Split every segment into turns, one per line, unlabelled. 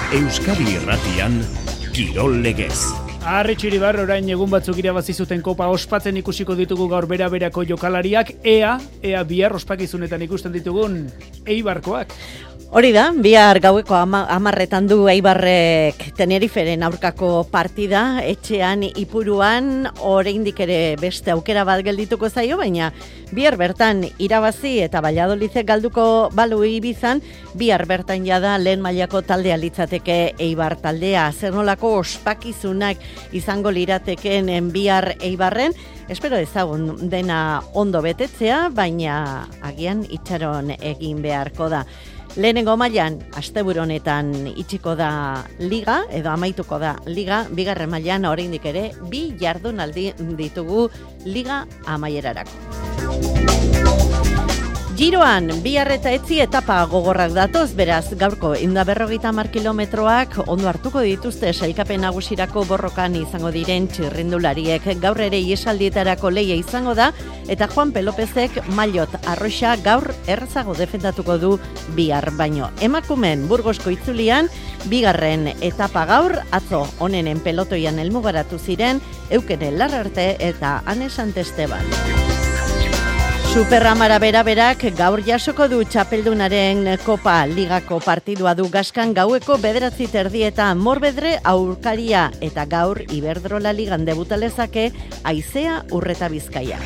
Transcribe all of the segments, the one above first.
Euskadi Irratian, Kirol Legez.
Arri Txiribar, orain egun batzuk irabazi zuten kopa ospatzen ikusiko ditugu gaur bera-berako jokalariak, ea bihar ospakizunetan ikusten ditugun Eibarkoak.
Hori da, bihar gaueko 10:00 du Eibarrek Teneriferen aurkako partida, etxean Ipuruan, oraindik ere beste aukera bat geldituko zaio, baina bihar bertan irabazi eta Valladolidek galduko balu Ibizan, bihar bertan jada lehen mailako taldea litzateke Eibar taldea. Zer nolako ospakizunak izango liratekeen bihar Eibarren, espero ezagun dena ondo betetzea, baina agian itxaron egin beharko da. Lehenengo mailan asteburu honetan itxiko da liga, edo amaituko da liga, bigarren mailan oraindik ere 2 jardunaldi ditugu liga amaierarako. Giroan, bihar eta etzi etapa gogorrak datoz, beraz, gaurko 150 kilometroak ondo hartuko dituzte sailkapen nagusirako borrokan izango diren txirrindulariek. Gaur ere iesaldietarako leia izango da, eta Juan Pelopezek maillot arroxa gaur errazago defendatuko du bihar baino. Emakumen Burgosko itzulian, bigarren etapa gaur, atzo onenen pelotoian helmugaratu ziren, Eukene Larrarte eta Ane Santesteban. Superramara bera-berak gaur jasoko du txapeldunaren Kopa Ligako partidua du Gaskan gaueko 9:30 eta Morbedre aurkaria eta gaur Iberdrola Ligan debutalezake Aizea Urreta Bizkaia.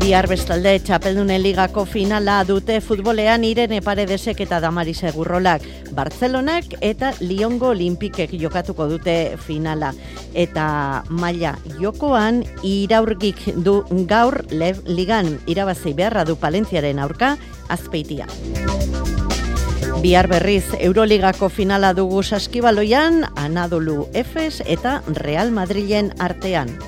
Bihar bestalde txapeldunen ligako finala dute futbolean Irene Paredesek eta Damaris Egurrolak. Bartzelonak eta Liongo Olimpikek jokatuko dute finala. Eta maila jokoan Iraurgik du gaur ligan irabazi beharra du Palentziaren aurka Azpeitia. Bihar berriz Euroligako finala dugu Saskibaloian Anadolu Efes eta Real Madrilen artean.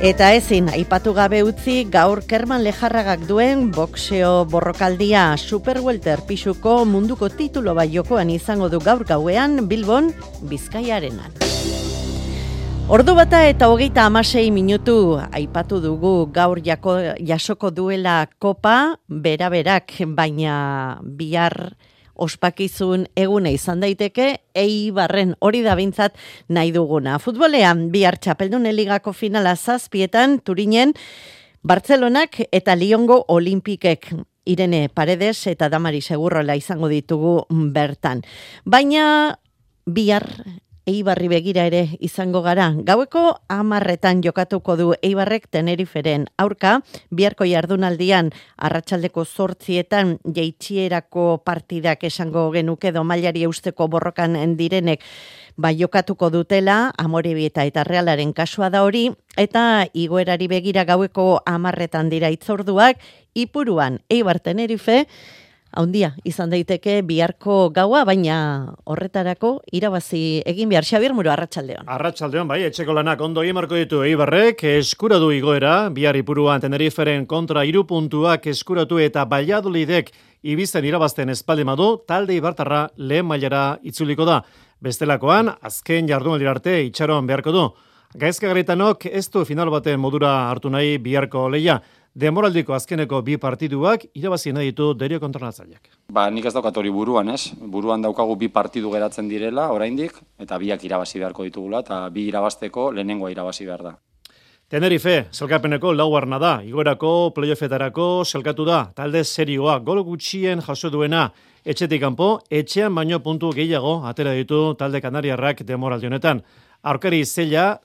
Eta ezin, aipatu gabe utzi gaur Kerman Lejarragak duen boxeo borrokaldia. Super welter pisuko munduko titulo bat jokoan izango du gaur gauean Bilbon Bizkaiarenan. Ordu bata eta 36 minutu aipatu dugu gaur jasoko duela kopa bera-berak, baina bihar ospakizun eguna izan daiteke Eibarren, hori da bintzat nahi duguna. Futbolean bihar txapeldunen ligako finala 7:00 Turinen, Bartzelonak eta Liongo Olimpikek. Irene Paredes eta Damaris Egurrola izango ditugu bertan. Baina bihar Eibarri begira ere izango gara. Gaueko 10:00 jokatuko du Eibarrek Teneriferen aurka, biharko jardunaldian arratsaldeko 8:00 jaitsierako partidak esango genuke edo mailari eusteko borrokan direnek jokatuko dutela, Amorebieta eta Realaren kasua da hori, eta igoerari begira gaueko 10:00 dira itzorduak, Ipuruan Eibar Tenerife, haundia izan daiteke biharko gaua, baina horretarako irabazi egin behar. Xabier Muro, arratsaldeon.
Arratsaldeon, bai, etxeko lanak ondo emarko ditu Eibarrek, eskura du igoera, bihar Ipuruan Teneriferen kontra 3 puntuak eskuratu eta Valladolidek Ibizen irabazten espaldimadu, talde Ibartarra lehen mailara itzuliko da. Bestelakoan, azken jardunaldi arte itxaron beharko du. Gaizka Garaitanok ez du final baten modura hartu nahi biharko leia. Demoraldiko azkeneko 2 partiduak irabazi nahi ditu Derio kontrolatzaileak.
Nik ez daukat hori buruan, ez? Buruan daukagu 2 partidu geratzen direla oraindik eta 2 irabazi beharko ditugula eta 2 irabazteko lehenengoa irabazi behar da.
Tenerife, zelkapeneko laugarna da, igoerako playoffetarako zelkatu da, talde serioa, gol gutxien jaso duena, etxetik kanpo, etxean baino puntu gehiago atera ditu talde kanariarrak demoraldi honetan. Aurkari zaila,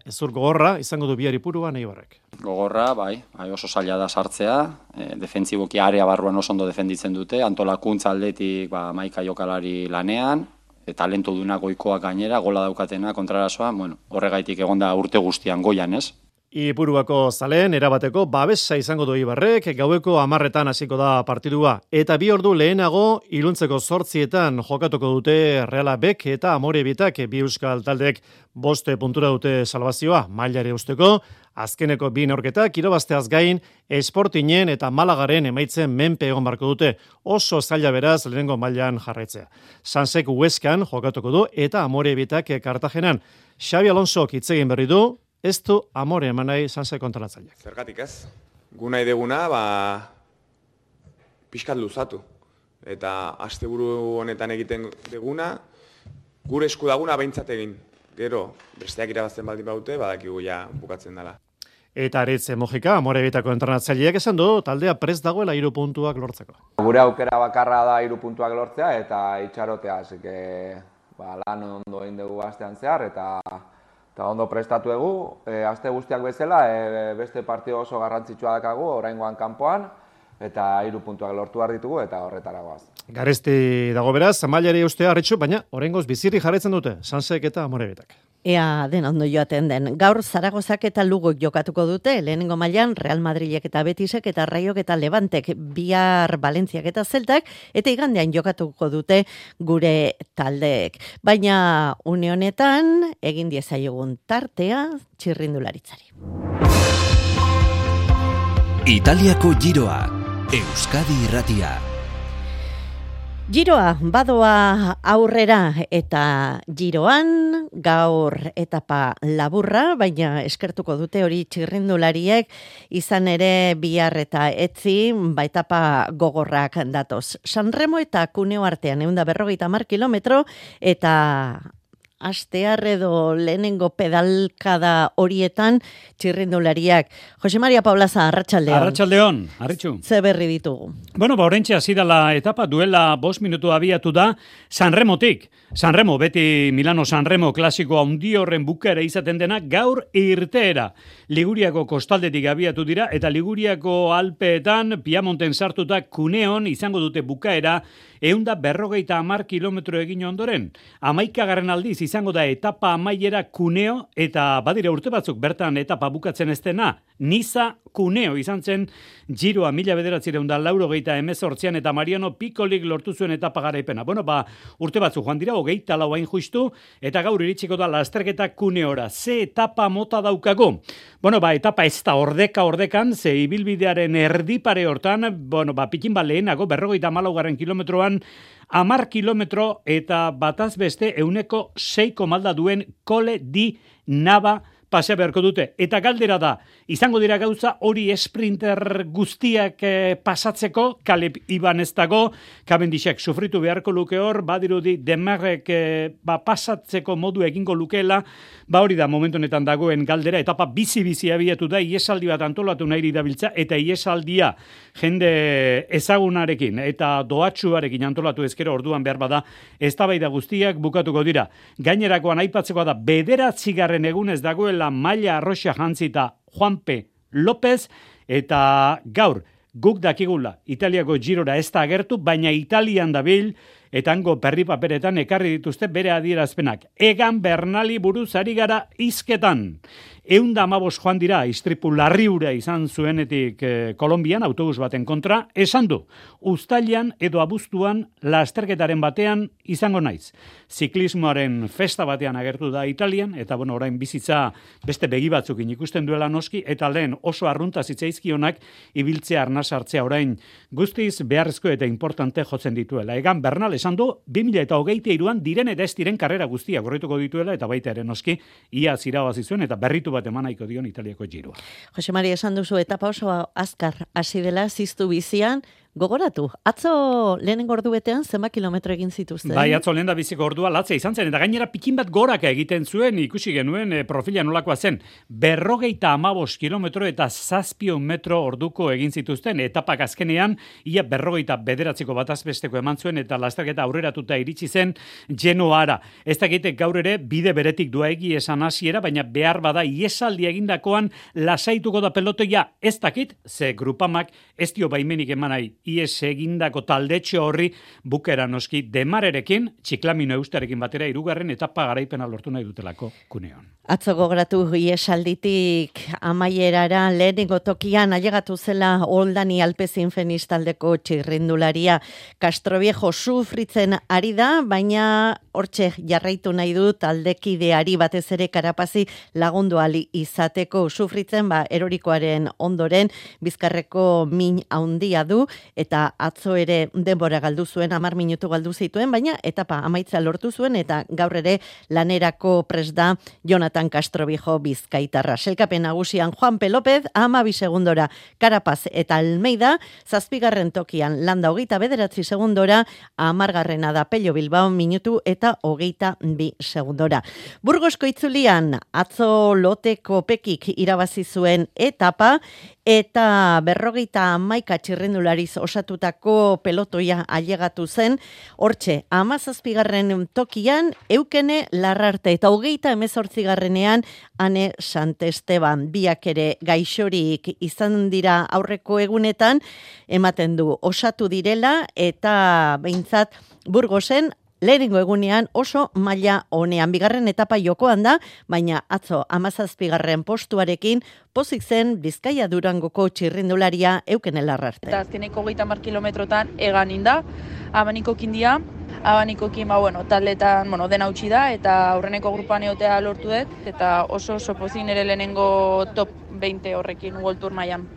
ezur gogorra, izango du bihar Ipuruan Eibarrek.
Gogorra, bai, oso zaila da sartzea, defentsiboki area barruan oso ondo defenditzen dute, antolakuntza aldetik maika jokalari lanean, talentu dunak goikoak gainera, gola daukatena kontrarasoa, horregaitik egonda urte guztian goian, ez?
Ipuruako zaleen erabateko babesa izango du Eibarrek, gaueko 10:00 hasiko da partidua. Eta 2 ordu lehenago, iluntzeko 8:00 jokatuko dute Reala Bek eta Amorebietak, 2 euskal taldek 5 puntura dute salvazioa, mailare usteko. Azkeneko 2 neurketak irabazteaz gain, Sportingen eta Malagaren emaitzen menpe egon barko dute. Oso zaila beraz lehenengo mailan jarraitzea. Sansek Huescan jokatuko du eta Amorebietak Kartagenan. Xabi Alonsok hitz egin berri du, ez du amore eman nahi Sanse kontralatzaileak.
Zergatik ez? Gu nahi deguna, pixkat luzatu. Eta asteburu honetan egiten duguna, gure esku daguna behintzat egin. Gero, besteak irabazten baldin baute, badakigu ja bukatzen dela.
Eta Aritz Mojika, Amorebietako entrenatzaileak esan du, taldea prest dagoela 3 puntuak lortzeko.
Gure aukera bakarra da 3 puntuak lortzea eta itxarotea, así que lan ondo egin dugu astean zehar eta ondo prestatu dugu. Aste guztiak bezala, beste partio oso garrantzitsua dakagu, oraingoan kanpoan, eta 3 puntuak lortu behar ditugu eta horretara goaz.
Garesti dago beraz, mailari ustea Arritxu, baina oraingoz bizirri jarraitzen dute, Sansek eta Amorebietak.
Ea den ondo joaten den. Gaur Zaragozak eta Lugok jokatuko dute, lehenengo mailan Real Madrilek eta Betisek eta Raiok eta Levantek, bihar Valentziak eta Zeltak, eta igandean jokatuko dute gure taldeek. Baina une honetan egin diezaiogun tartea txirrindularitzari.
Italiako Giroa, Euskadi Irratia.
Giroa badoa aurrera eta Giroan gaur etapa laburra, baina eskertuko dute hori txirrindulariek, izan ere bihar eta etzi etapa gogorrak datoz. Sanremo eta Cuneo artean 150 kilometro eta astear edo lehenengo pedalkada horietan txirrindulariak. Jose Maria Paulaza, arratsaldeon.
Arratsaldeon, Arritxu.
Ze berri ditugu?
Bueno, oraintxe hasi dela etapa, duela 5 minutu abiatu da Sanremotik. Sanremo, beti Milano Sanremo klasiko handi horren bukaera izaten dena, gaur irteera. Liguriako kostaldetik abiatu dira, eta Liguriako Alpeetan, Piamonten sartuta Cuneon izango dute bukaera, 150 kilometro egin ondoren. 11. aldiz izango da etapa amaiera Cuneo, eta badira urte batzuk bertan etapa bukatzen ez dena, Niza Cuneo izan zen Giroa 1988an eta Mariano Piccolik lortu zuen etapa garaipena. Bueno, urte batzuk joan dira, 24 hain justu, eta gaur iritsiko da lasterketa Cuneora. Ze etapa mota daukago? Bueno, etapa ez da ordekan, ze ibilbidearen erdipare hortan, pikin lehenago, 54 kilometroan, 10 kilometro eta bataz beste 6,6 duen Cole di Nava pasea beharko dute. Eta galdera da, izango dira gauza hori sprinter guztiak pasatzeko, Caleb Iban ez dago, Cavendishek sufritu beharko luke hor, badirudi Demarrek pasatzeko modu egingo lukeela, hori da momentu honetan dagoen galdera, etapa bizi abiatu da, iesaldi bat antolatu nahi dabiltza, eta iesaldia jende ezagunarekin eta doatsuarekin antolatu ezkero orduan behar bada, eztabaida guztiak bukatuko dira. Gainerakoan aipatzeko da, 9. egunez dagoela Maila Arroxa jantzita Juanpe López, eta gaur guk dakigula Italiako Girora ez da agertu, baina Italian dabil, eta hango perri paperetan ekarri dituzte bere adierazpenak. Egan Bernali buruz ari gara hizketan. 115 joan dira, istripu larriura izan zuenetik Kolonbian, autobus baten kontra, esan du, uztailean edo abuztuan lasterketaren batean izango naiz. Ziklismoaren festa batean agertu da Italian, eta orain bizitza beste begi batzukin ikusten duela noski, eta lehen oso arrunta zitzaizkionak ibiltzea arnasartzea orain guztiz beharrezko eta importante jotzen dituela. Egan Bernal esan du, 2023an diren eta ez diren karrera guztiak gorrituko dituela, eta baita ere noski, ia zirabazi zuen, eta berritu bat emanaiko dion Italiako Giroa.
Jose Maria, esan duzu etapa oso azkar hasi dela ziztu bizian, gogoratu, atzo lehenengo ordu betean zenbat kilometro egin zituzten?
Atzo lehen da biziko ordua latzea izan zen, eta gainera pikin bat goraka egiten zuen, ikusi genuen profila nolakoa zen, 55 kilometro eta 700 metro orduko egin zituzten, etapak azkenean, ia 59 batazbesteko eman zuen, eta lasterketa aurreratuta iritsi zen Genoara. Ez dakite gaur ere bide beretik duaegi esan hasiera, baina behar bada iesaldi egindakoan lasaituko da pelotoia, ez dakit, ze grupamak ez dio baimenik emanai ies egindako taldetxo horri bukera noski Demarerekin, Txiklamino Eustarekin batera 3. etapa garaipena lortu nahi dutelako Cuneon.
Atzo gogoratu iesalditik amaierara lehenengo tokian ailegatu zela Oldani Alpezin Feniz taldeko txirrindularia Castroviejo sufritzen ari da, baina hortxe jarraitu nahi du taldekideari batez ere Karapazi lagundu ali izateko sufritzen, erorikoaren ondoren bizkarreko min handia du, eta atzo ere denbora galdu zuen, 10 minutu galdu zituen, baina etapa amaitza lortu zuen, eta gaur ere lanerako prest da Jonathan Castrobijo bizkaitarra. Selkapen nagusian Juanpe López, 12 segundora Carapaz eta Almeida, 7. tokian Landa 29 segundora, 10. da Pello Bilbao minutu eta 22 segundora. Burgosko itzulian atzo loteko pekik irabazi zuen etapa, eta 51 txirrindulariz osatutako pelotoia ailegatu zen, hortxe 17. tokian Eukene Larrarte eta 28. Ane Santesteban, biak ere gaixorik izan dira aurreko egunetan, ematen du osatu direla, eta behintzat Burgosen lehenengo egunean oso maila honean. Bigarren etapa jokoan da, baina atzo 17. postuarekin pozik zen Bizkaia Durangoko txirrindularia Eukene Larrarte.
Eta azkeneko 30 kilometrotan egan inda, abanikokin dia, abanikokin taldetan dena utzi da, eta aurreneko grupan egotea lortu dut, eta oso pozik nire lehenengo top 20 horrekin World Tour mailan.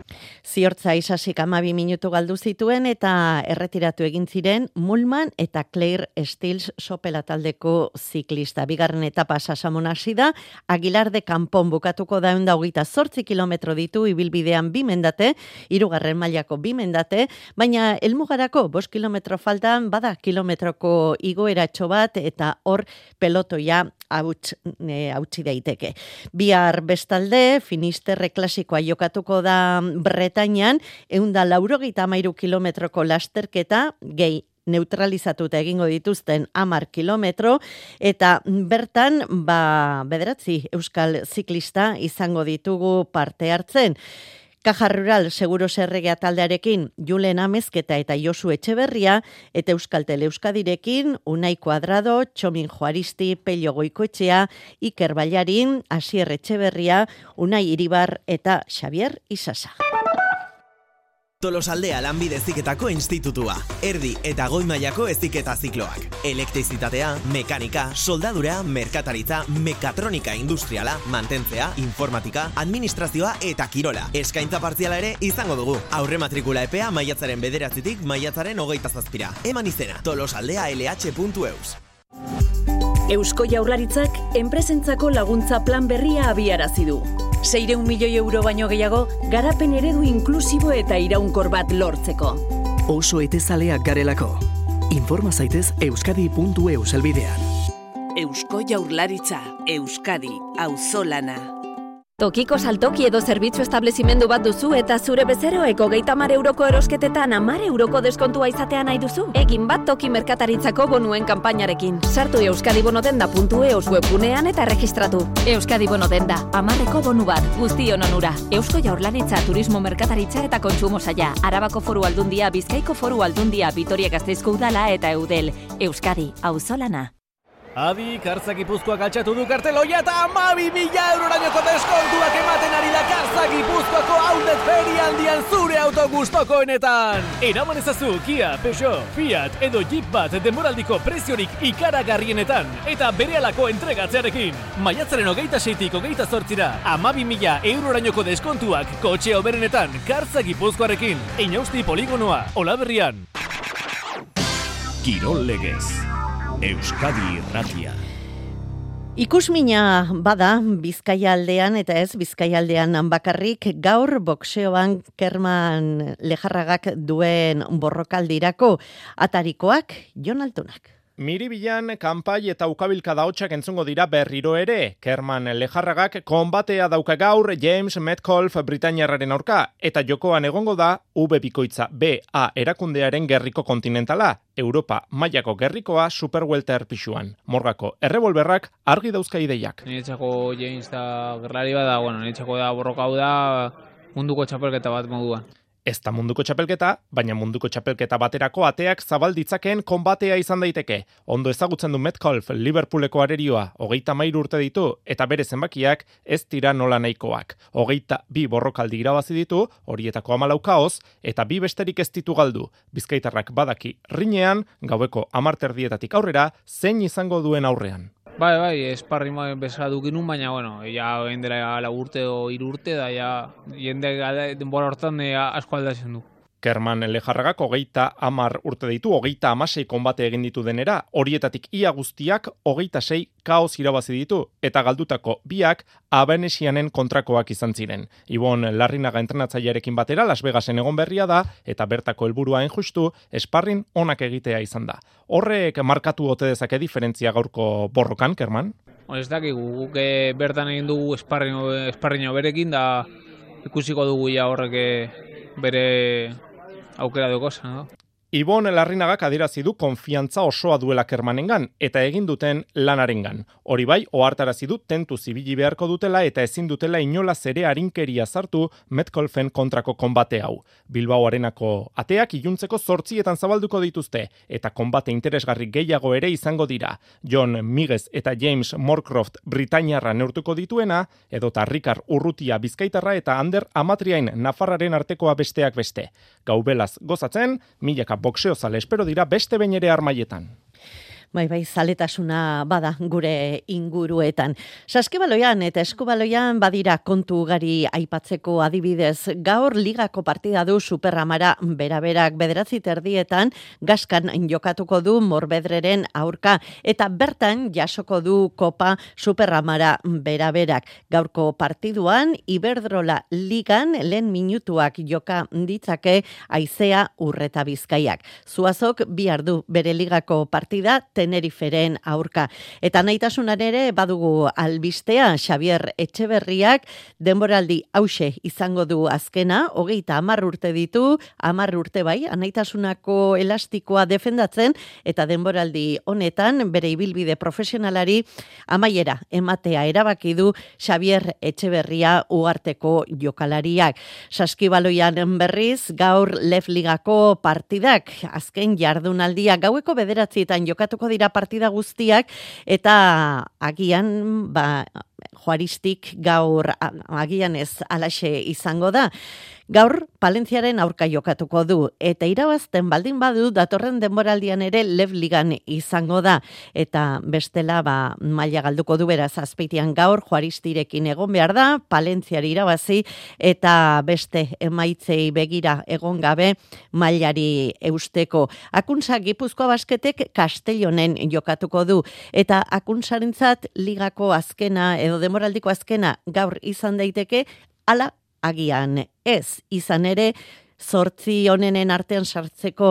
Ziortza Isasik 12 minutu galdu zituen eta erretiratu egin ziren Mulman eta Claire Stills sopela taldeko ziklista. Bigarren etapa Sasamon hasi da, Aguilar de Campon bukatuko da 128 kilometro ditu ibilbidean 2 mendate, 3. mailako 2 mendate, baina helmugarako 5 kilometro faltan bada kilometroko igoeratxo bat eta hor pelotoia hautsi daiteke. Bihar bestalde, Finisterre klasikoa jokatuko da Bretañan, 193 kilometroko lasterketa, gehi neutralizatuta egingo dituzten 10 kilometro, eta bertan, 9 euskal ziklista izango ditugu parte hartzen. Caja Rural Seguros Erregea taldearekin Julen Amezketa eta Josu Etxeberria, eta Euskaltel Euskadirekin Unai Kuadrado, Txomin Juaristi, Pello Goikoetxea, Iker Ballarin, Asier Etxeberria, Unai Iribar eta Xavier Isasa.
Tolosaldea Lanbide Heziketako Institutua. Erdi eta goi mailako heziketa zikloak. Elektrizitatea, mekanika, soldadura, merkataritza, mekatronika industriala, mantentzea, informatika, administrazioa eta kirola. Eskaintza partziala ere izango dugu. Aurre matrikula epea maiatzaren 9tik maiatzaren 27. Eman izena, tolosaldealh.eus.
Eusko Jaurlaritzak enpresentzako laguntza plan berria abiarazi du. 600 milioi euro baino gehiago garapen eredu inklusibo eta iraunkor bat lortzeko.
Oso etezaleak garelako. Informa zaitez euskadi.eus helbidean.
Eusko Jaurlaritza, Euskadi, auzolana.
Tokiko saltoki edo zerbitzu establezimendu bat duzu eta zure bezeroek 30 euroko erosketetan 10 euroko deskontua izatea nahi duzu? Egin bat toki merkataritzako bonuen kanpainarekin. Sartu euskadibonodenda.eus webgunean eta erregistratu. Euskadi Bonodenda, 10eko bonu bat, guztion onura. Eusko Jaurlaritza, Turismo Merkataritza eta Kontsumo Saila, Arabako Foru Aldundia, Bizkaiko Foru Aldundia, Vitoria-Gasteizko Udala eta Eudel. Euskadi, auzolana.
Adi, Kartza Gipuzkoak altxatu du karteloia eta 12.000 eurorainoko deskontuak ematen ari da Kartza Gipuzkoako outlet ferialdian zure auto gustokoenetan. Eraman ezazu Kia, Peugeot, Fiat edo Jeep bat denboraldiko preziorik ikaragarrienetan eta berehalako entregatzearekin. Maiatzaren 26tik 28ra 12.000 eurorainoko deskontuak kotxe hoberenetan Kartza Gipuzkoarekin. Inausti poligonoa, Olaberrian.
Kirol legez. Euskadi Irratia.
Ikusmina bada Bizkaia aldean eta ez Bizkaia aldean bakarrik, gaur boxeoan Kerman Lejarragak duen borrokaldirako atarikoak Jon Altunak.
Miribilan, kanpai eta ukabilka daotxak entzungo dira berriro ere. Kerman Lejarragak konbatea dauka gaur James Metcalf Britainiarraren aurka, eta jokoan egongo da V-bikoitza BA erakundearen gerriko kontinentala, Europa mailako gerrikoa superwelter pixuan. Morgako errebolberrak argi dauzka ideiak.
Niretzako James da gerlari bada, niretzako da borroka hau da munduko txapelketa bat moduan.
Ez da munduko txapelketa, baina munduko txapelketa baterako ateak zabalditzakeen konbatea izan daiteke. Ondo ezagutzen du Metcalf Liverpooleko arerioa, 33 urte ditu, eta bere zenbakiak ez dira nola nahikoak. 22 borrokaldi irabazi ditu, horietako 14 kaoz, eta 2 besterik ez ditu galdu. Bizkaitarrak badaki rinean, gaueko 10:00 aurrera, zein izango duen aurrean.
Bai, esparri bezala dukinun, baina, ja endera 4 urte o 3 urte, da, ja, jende denbora hortan asko aldatzen du.
Kerman Lejarragak 30 urte ditu, 36 konbate egin ditu denera, horietatik ia guztiak 26 kaos irabazi ditu, eta galdutako biak Abenesianen kontrakoak izan ziren. Ibon Larrinaga entrenatzailearekin batera Las Vegasen egon berria da, eta bertako helburua hain justu, sparring onak egitea izan da. Horrek markatu ote dezake diferentzia gaurko borrokan, Kerman?
Ez dakigu, guk bertan egin dugu esparrino berekin, da ikusiko dugu ja horrek bere aukera dukosa, no?
Ibon Larrinagak adierazi du konfiantza osoa duela Kermanengan eta egin duten lanarengan. Hori bai, ohartarazi du tentu zibili beharko dutela eta ezin dutela inolaz ere arinkeria sartu Metcalfen kontrako konbate hau. Bilbao Arenako ateak iluntzeko 8etan zabalduko dituzte eta konbate interesgarri gehiago ere izango dira. John Miguez eta James Moorcroft Britainiarra neurtuko dituena, edota Ricard Urrutia Bizkaitarra eta Ander Amatriain Nafarraren artekoa besteak beste. Gaubelaz gozatzen, milaka boxeo zale espero dira beste behin ere armaietan.
Bai, zaletasuna bada gure inguruetan. Saskibaloian eta eskubaloian badira kontu ugari aipatzeko adibidez. Gaur ligako partida du Superamara beraberak 9:30 Gaskan jokatuko du Morbedreren aurka eta bertan jasoko du Kopa Superamara beraberak. Gaurko partiduan Iberdrola ligan lehen minutuak joka ditzake Aizea Urreta Bizkaiak. Zuazok bihar du bere ligako partida Teneriferen aurka. Eta nahitasunan ere badugu albistea Xavier Etxeberriak denboraldi hause izango du azkena, 30 urte ditu, 10 urte bai, anaitasunako elastikoa defendatzen eta denboraldi honetan bere ibilbide profesionalari amaiera ematea erabaki du Xavier Etxeberria uharteko jokalariak. Saskibaloian berriz gaur Lef Ligako partidak azken jardunaldia gaueko 9etan jokatuko dira partida guztiak eta agian Juaristik gaur agian ez alaxe izango da. Gaur Palentziaren aurka jokatuko du eta irabazten baldin badu datorren denboraldian ere Lef Ligan izango da eta bestela maila galduko du beraz Azpeitian gaur Juaristirekin egon behar da, Palentziari irabazi eta beste emaitzei begira egon gabe mailari eusteko. Akuntza Gipuzkoa Basketek Castellonen jokatuko du eta Akuntzarentzat ligako azkena edo denboraldiko azkena gaur izan daiteke, ala agian ez, izan ere 8 honenen artean sartzeko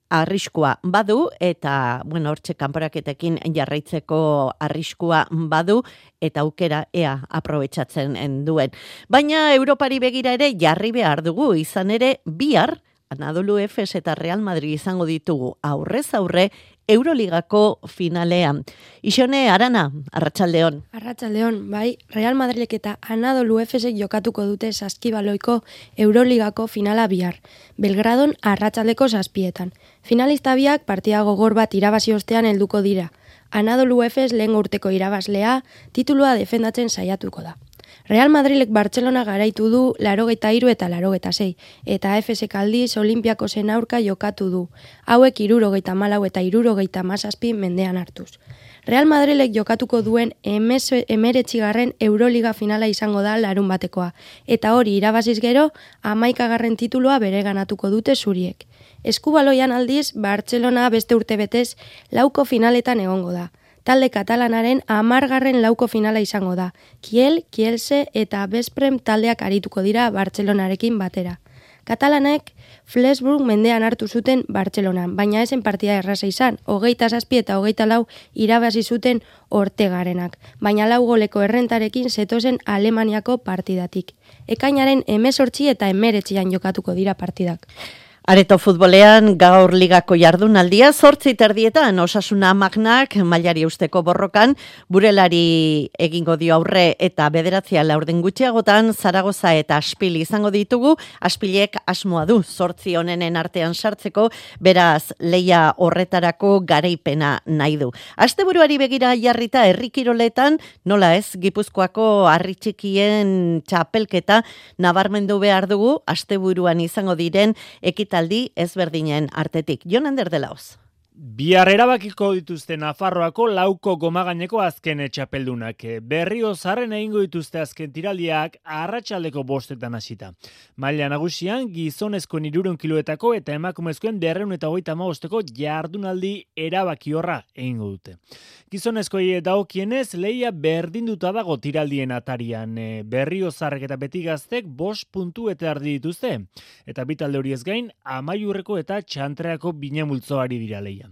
arriskua badu eta hortxe kanporaketekin jarraitzeko arriskua badu eta aukera ea aprobetxatzen duen. Baina Europari begira ere jarri behar dugu, izan ere bihar Anadolu Efes eta Real Madrid izango ditugu aurrez aurre Euroligako finalean. Ixone, Arana, Arratsaldeon.
Arratsaldeon, bai, Real Madrilek eta Anadolu Efesek jokatuko dute Saskibaloiko Euroligako finala bihar. Belgradon arratsaldeko 7etan. Finalista biak partida gogor bat irabazi ostean helduko dira. Anadolu Efes lehen urteko irabazlea titulua defendatzen saiatuko da. Real Madrilek Bartzelona garaitu du 83 eta 86, eta Efesek aldiz Olimpiakosen aurka jokatu du, hauek 74 eta 77 mendean hartuz. Real Madrilek jokatuko duen 19. Euroliga finala izango da larun batekoa, eta hori irabaziz gero 11. titulua bereganatuko dute zuriek. Eskubaloian aldiz, Bartzelona beste urtebetez lauko finaletan egongo da. Talde katalanaren 10. lauko finala izango da. Kiel, Kielse eta Besprem taldeak arituko dira Bartzelonarekin batera. Katalanek Flensburg mendean hartu zuten Bartzelonan, baina esen partida erraza izan, 27 eta 24 irabazi zuten Ortegarenak, baina 4 goleko errentarekin zetozen Alemaniako partidatik. Ekainaren 18 eta 19 jokatuko dira partidak.
Areto futbolean gaur ligako jardunaldia 8:30 Osasuna Magnak mailari usteko borrokan Burelari egingo dio aurre eta 9 laurden gutxiagotan Zaragoza eta Aspil izango ditugu. Aspilek asmoa du 8 honenen artean sartzeko, beraz leia horretarako garaipena nahi du. Asteburuari begira jarrita herrikiroletan nola ez Gipuzkoako harri txikien txapelketa nabarmendu behar dugu asteburuan izango diren ekitaldi ezberdinen artetik. Jon Ander de Laoz.
Bihar erabakiko dituzte Nafarroako lauko gomagaineko azken txapeldunak. Berriozarren egingo dituzte azken tiraldiak arratsaldeko 5 hasita. Maila nagusian gizonezkoen 300 kiloetako eta emakumezkoen 255ko jardunaldi erabakiorra egingo dute. Gizonezkoei dagokienez leia berdinduta dago tiraldien atarian. Berriozarrek eta Betigaztek 5 puntu eta erdi dituzte. Eta bi talde horiez gain Amaiurreko eta Txantreako binamultzoari dira leia.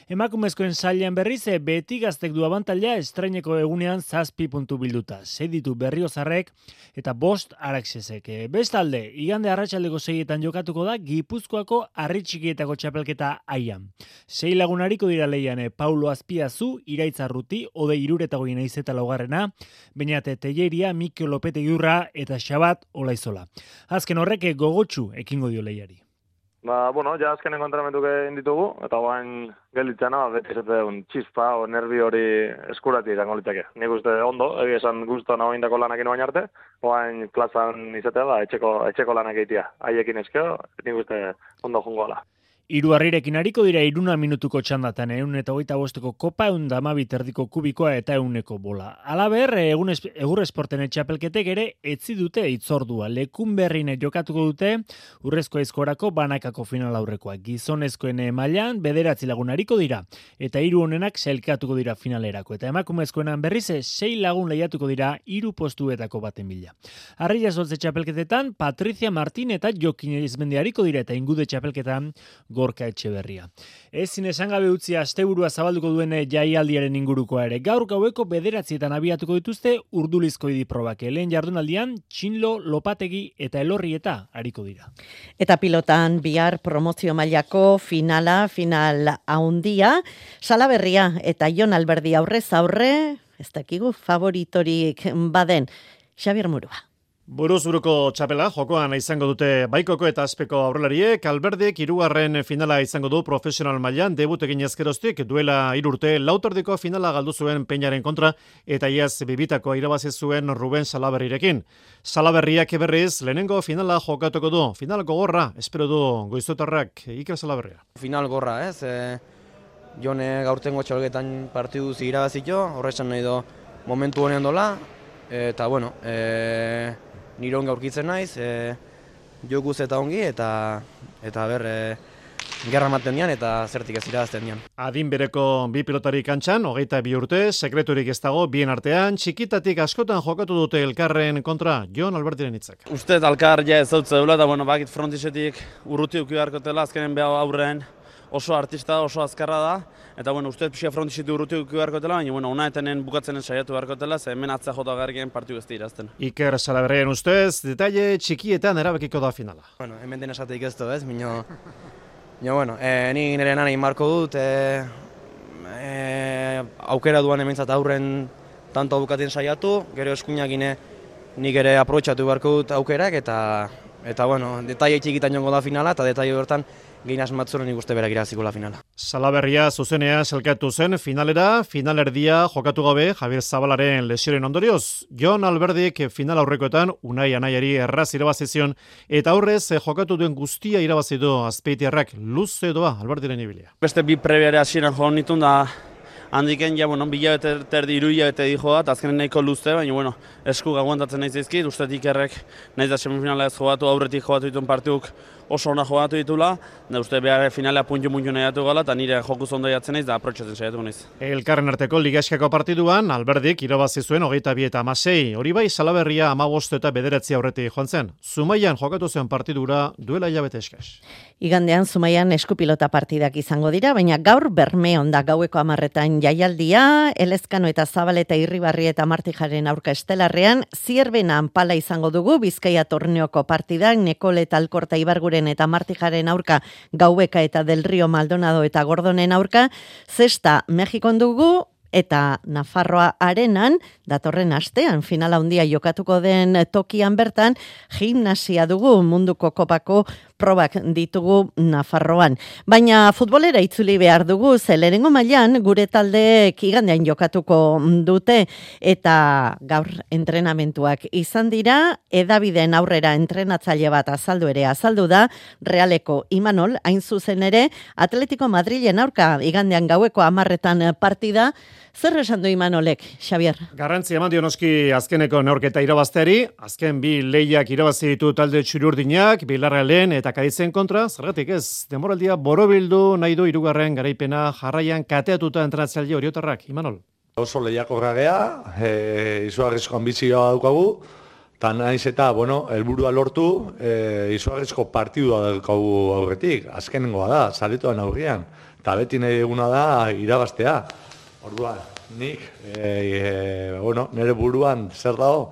Emakumezkoen sailean berriz Betigaztek du abantaila estreineko egunean 7 puntu bilduta. 6 ditu Berriozarrek eta 5 Araxesek. Bestalde, igande arratsaldeko 6etan jokatuko da Gipuzkoako Harritxikietako txapelketa aian. 6 lagunariko dira leian Paulo Azpiazu, Iraitz Arruti, Ode Iruretagoien aizeta laugarrena, Beñate Telleria, Mikel Lopete Iurra eta Xabat Olaizola. Azken horrek gogotsu ekingo dio leiari.
Bueno, ja azkenen kontramentuk egin ditugu, eta guain gelditzena, beti esaten txispa o nervi hori eskurati izango liteke. Nik uste ondo, egia esan guztu nago indako lanak inoain arte, guain plazan izatea da, etxeko lanak egitea. Haiekin eskeo, nik uste ondo jungo ala.
3 harrirekin hariko dira 1 minutuko txandatan, 125ko kopa, 112 erdiko kubikoa eta 100ko bola. Halaber, Egur Esporten txapelketek ere etzi dute itzordua. Lekunberrin jokatuko dute urrezko aizkorako banakako final aurrekoa. Gizonezkoen mailan 9 lagun hariko dira eta 3 honenak sailkatuko dira finalerako. Eta emakumezkoenan berriz 6 lagun lehiatuko dira 3 postuetako baten bila. Harria Zoltze txapelketetan Patricia Martin eta Jokin Erizmendi hariko dira eta Ingude txapelketan Gorka Etxeberria. Ezin esan gabe utzi asteburua zabalduko duen jaialdiaren ingurukoa ere. Gaur gaueko 9etan abiatuko dituzte urdulizko idiprobak. Lehen jardunaldian Txinlo, Lopategi eta Elorrieta hariko dira.
Eta pilotan bihar promozio mailako final haundia, Salaberria eta Jon Alberdi aurrez aurre, ez dakigu favoritorik baden, Xabier Murua.
Buruzuruko txapela jokoan izango dute Baikoko eta Azpeko aurrelariek. Alberdik 3. finala izango du profesional mailan, debut egin ezkeroztik, duela 3 urte lauterdiko finala galdu zuen Peñaren kontra eta iaz bibitako irabazi zuen Ruben Salaberrirekin. Salaberriak berriz lehenengo finala jokatuko du. Final gogorra, espero du goizotarrak Iker Salaberria.
Final gorra, ez? Jone gaurtengo txalgetan partiduz irabazito, horrezan nahi do momentu honean dola, eta bueno, nire ongi aurkitzen naiz, jokuz eta ongi, eta gerra maten dian, eta zertik ez irabazten dian.
Adin bereko bi pilotari kantxan, 22 urte, sekreturik ez dago, bien artean, txikitatik askotan jokatu dute elkarren kontra, Jon Albertiren hitzak.
Uste alkar ja ez dut zeula, eta bakit frontisetik urruti uki beharkotela, azkenen beha aurrean oso artista, oso azkarra da, eta uste pixia frontisetik urruti uki beharkotela, baina ona etenen bukatzenen saiatu beharkotela, ze hemen atzea jota garrien partiu ez irazten.
Iker Salaberrien ustez, detaile txikietan erabakiko da finala.
Hemen den esateik ez du, ez? Mino, ni nire nana inmarko dut, aukera duan hementzat aurren tanto bukatzen saiatu, gero eskuinak nik ere aprobetxatu beharko dut aukerak, eta detaile txikitan jongo da finala, eta detaile hortan gehin asmatzuren ikuste berak iraziko la finala.
Salaberria zuzenea selkatu zen finalera, finalerdia jokatu gabe Javier Zabalaren lesioaren ondorioz. Jon Alberdik final aurrekoetan Unai Anaiari erraz irabazizion eta aurrez jokatu duen guztia irabazi du Azpeitiarrak luze doa Alberdiren ibilia.
Beste bi prebiare hasieran joan nitun da handiken, bilabete terdi irubete dijo bat, azkenen nahiko luzte, baina esku aguantatzen nahi zaizkit, ustetik Ikerrek nahiz da semifinala ez jogatu, aurretik jogatu dituen partiuk oso ona jogatu ditula, da uste behar finalea puntu nahiatu gala, eta nire jokuz ondo jatzen naiz, da aprotxatzen saiatuko naiz.
Elkarren arteko ligaskako partiduan, Alberdik irabazi zuen 22 eta 16, hori bai Salaberria 15 eta 9 aurretik joan zen. Zumaian jokatu zen partidura duela hilabete eskas.
Igandean Zumaian eskupilota partidak izango dira, baina gaur Bermeon da gaueko 10etan jaialdia, Elezkano eta Zabaleta Irribarri eta Martijaren aurka estelarrean, Zierbenan pala izango dugu, Bizkaia torneoko partidak, Nekole eta Alkorta Ibarguren eta Martijaren aurka, Gaueka eta Del Rio Maldonado eta Gordonen aurka, Zesta Mexikon dugu, eta Nafarroa Arenan, datorren astean, finala handia jokatuko den tokian bertan, gimnasia dugu munduko kopako probak ditugu Nafarroan. Baina futbolera itzuli behar dugu, ze lehenengo mailan gure taldeek igandean jokatuko dute eta gaur entrenamentuak izan dira, edabideen aurrera entrenatzaile bat azaldu da, Realeko Imanol, hain zuzen ere, Atletico Madrilen aurka igandean gaueko 10 partida. Zer esan du Imanolek, Xavier?
Garrantzi eman dio noski azkeneko neurketa irabazteari, azken bi lehiak irabazi ditu talde txuri-urdinak, Villarrealen eta Kadizen kontra, zergatik ez, denboraldia borobildu nahi du 3. garaipena jarraian kateatuta entrenatzaile oriotarrak, Imanol.
Oso lehiakorra gea, izugarrizko ambizioa daukagu, eta naiz eta, helburua lortu, izugarrizko partidua daukagu aurretik, azkenengoa da, zaletoan aurrian, eta beti nahi eguna da irabaztea. Orduan, nik, nire buruan zer dago,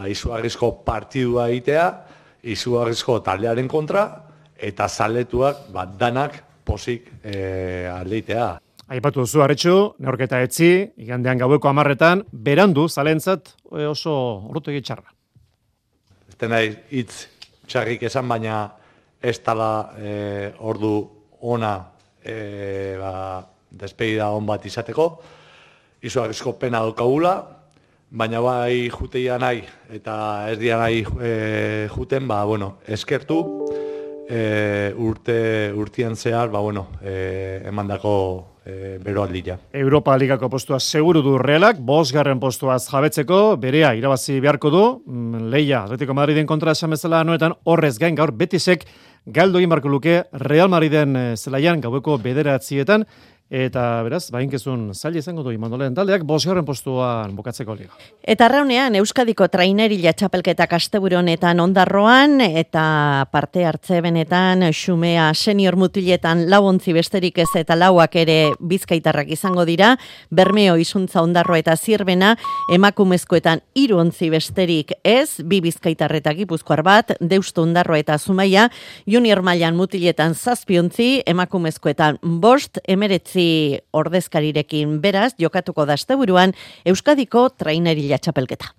izugarrizko partidua egitea, izugarrizko taldearen kontra, eta zaletuak danak pozik aldeitea.
Aipatu duzu, Arretxu, neurketa etzi, igandean gaueko 10 berandu zalentzat oso orrutegi txarra.
Ez da nahi hitz txarrik esan, baina ez dala ordu ona despedida on bat izateko, izugarrizko pena daukagula, baina bai juteia nahi eta ez dira nahi juten, eskertu urtien zehar, emandako beroaldia.
Europa Ligako postua seguru du Realak, 5. postuaz jabetzeko, berea irabazi beharko du, lehia Atletico Madriden kontra esan bezala noetan, horrez gain gaur Betisek galdu egin barko luke Real Madriden zelaian gaueko 9:00, eta beraz, bainkezun zaila izango du Imandolen taldeak 5. postuan bukatzeko liga.
Eta arraunean, Euskadiko trainerila txapelketak asteburu honetan Ondarroan, eta parte hartze benetan Xumea senior mutiletan 4 ontzi besterik ez eta 4ak ere bizkaitarrak izango dira, Bermeo Izuntza Ondarroa eta Zirbena, emakumezkoetan 3 ontzi besterik ez, 2 bizkaitarra eta Gipuzkoar bat, Deustu Ondarroa eta Zumaia, junior mailan mutiletan 7 ontzi, emakumezkoetan 5, 19 ordezkarirekin beraz, jokatuko da asteburuan Euskadiko trainerila txapelketa.